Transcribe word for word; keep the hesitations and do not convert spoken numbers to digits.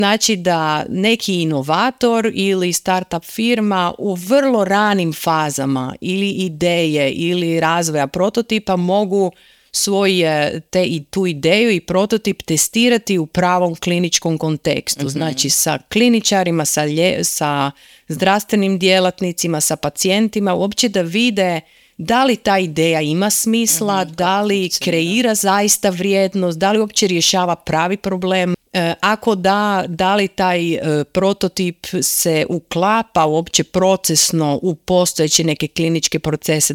Znači da neki inovator ili startup firma u vrlo ranim fazama ili ideje ili razvoja prototipa mogu svoje te i tu ideju i prototip testirati u pravom kliničkom kontekstu. Mm-hmm. Znači sa kliničarima, sa, lje, sa zdravstvenim djelatnicima, sa pacijentima, uopće da vide da li ta ideja ima smisla, mm-hmm. da li kreira zaista vrijednost, da li uopće rješava pravi problem. E, ako da, da li taj e, prototip se uklapa uopće procesno u postojeće neke kliničke procese.